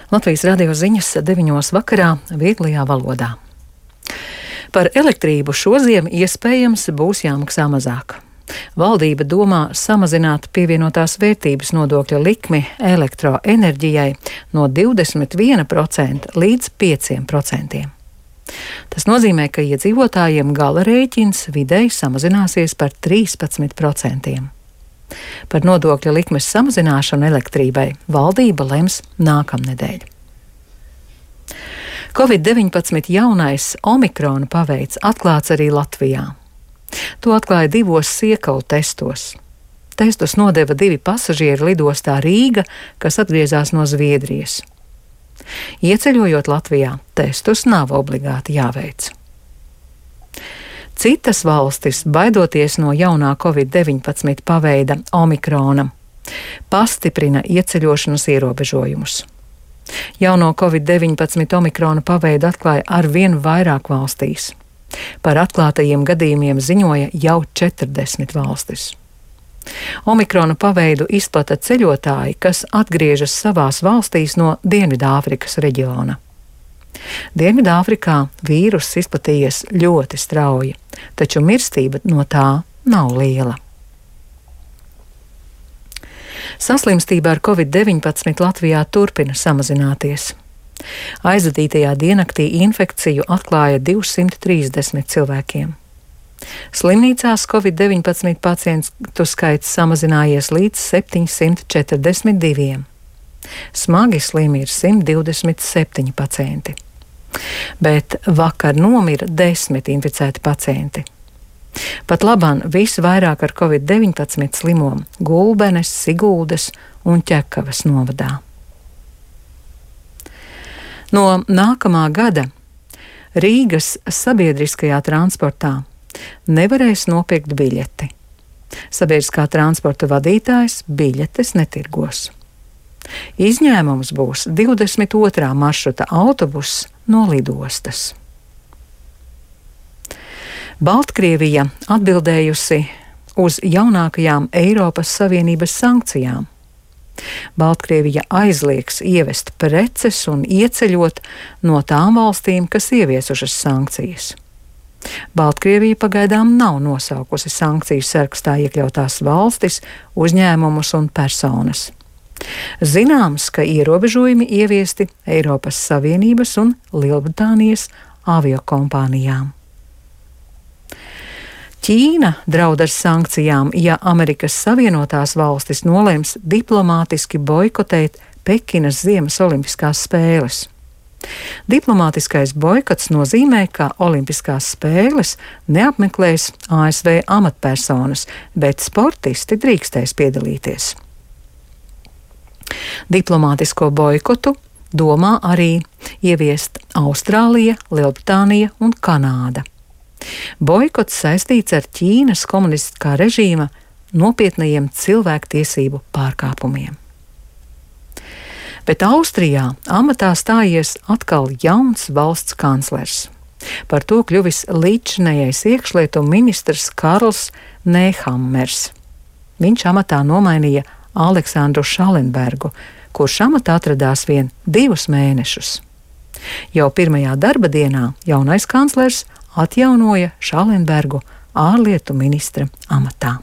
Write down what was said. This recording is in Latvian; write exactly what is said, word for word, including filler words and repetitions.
Latvijas radio ziņas deviņos vakarā vieglajā valodā. Par elektrību šoziem iespējams būs jāmaksā mazāk. Valdība domā samazināt pievienotās vērtības nodokļa likmi elektroenerģijai no divdesmit viena procenta līdz pieciem procentiem. Tas nozīmē, ka iedzīvotājiem gala rēķins vidēji samazināsies par trīspadsmit procentiem. Par nodokļa likmes samazināšanu elektrībai valdība lems nākamnedēļ. covid deviņpadsmit jaunais omikrona paveids atklāts arī Latvijā. To atklāja divos siekalu testos. Testus nodeva divi pasažieri lidostā Rīga, kas atgriezās no Zviedrijas. Ieceļojot Latvijā, testus nav obligāti jāveic. Citas valstis, baidoties no jaunā covid deviņpadsmit paveida omikrona, pastiprina ieceļošanas ierobežojumus. Jauno covid deviņpadsmit omikrona paveidu atklāja arvien vairāk valstīs. Par atklātajiem gadījumiem ziņoja jau četrdesmit valstis. Omikrona paveidu izplata ceļotāji, kas atgriežas savās valstīs no Dienvidāfrikas reģiona. Dienvidāfrikā vīruss izplatījies ļoti strauji, taču mirstība no tā nav liela. Saslimstība ar covid deviņpadsmit Latvijā turpina samazināties. Aizvadītajā diennaktī infekciju atklāja divsimt trīsdesmit cilvēkiem. Slimnīcās covid deviņpadsmit pacientu skaits samazinājies līdz septiņsimt četrdesmit diviem. Smagi slimi ir simt divdesmit septiņi pacienti. Bet vakar nomira desmit inficēti pacienti. Pat labāk visvairāk ar covid deviņpadsmit slimo Gulbenes, Siguldas un Ķekavas novadā. No nākamā gada Rīgas sabiedriskajā transportā nevarēs nopirkt biļeti. Sabiedriskā transporta vadītājs biļetes netirgos. Izņēmums būs divdesmit otrā maršruta autobuss no lidostas. Baltkrievija atbildējusi uz jaunākajām Eiropas Savienības sankcijām. Baltkrievija aizliegs ievest preces un ieceļot no tām valstīm, kas ieviesušas sankcijas. Baltkrievija pagaidām nav nosaukusi sankciju sarakstā iekļautās valstis, uzņēmumus un personas. Zināms, ka ierobežojumi ieviesti Eiropas Savienības un Lielbritānijas aviokompānijām. Ķīna draud ar sankcijām, ja Amerikas Savienotās valstis nolems diplomātiski boikotēt Pekinas Ziemas olimpiskās spēles. Diplomātiskais boikots nozīmē, ka olimpiskās spēles neapmeklēs A S V amatpersonas, bet sportisti drīkstēs piedalīties. Diplomātisko boikotu domā arī ieviest Austrālija, Lielbritānija un Kanāda. Boikots saistīts ar Ķīnas komunistiskā režīma nopietnajiem cilvēktiesību pārkāpumiem. Bet Austrijā amatā stājies atkal jauns valsts kanclers. Par to kļuvis līdzinējais iekšlietu ministrs Karls Nehammers. Viņš amatā nomainīja Aleksandru Šalenbergu, kurš amatā atradās vien divus mēnešus. Jau pirmajā darba dienā jaunais kanclers atjaunoja Šalenbergu ārlietu ministra amatā.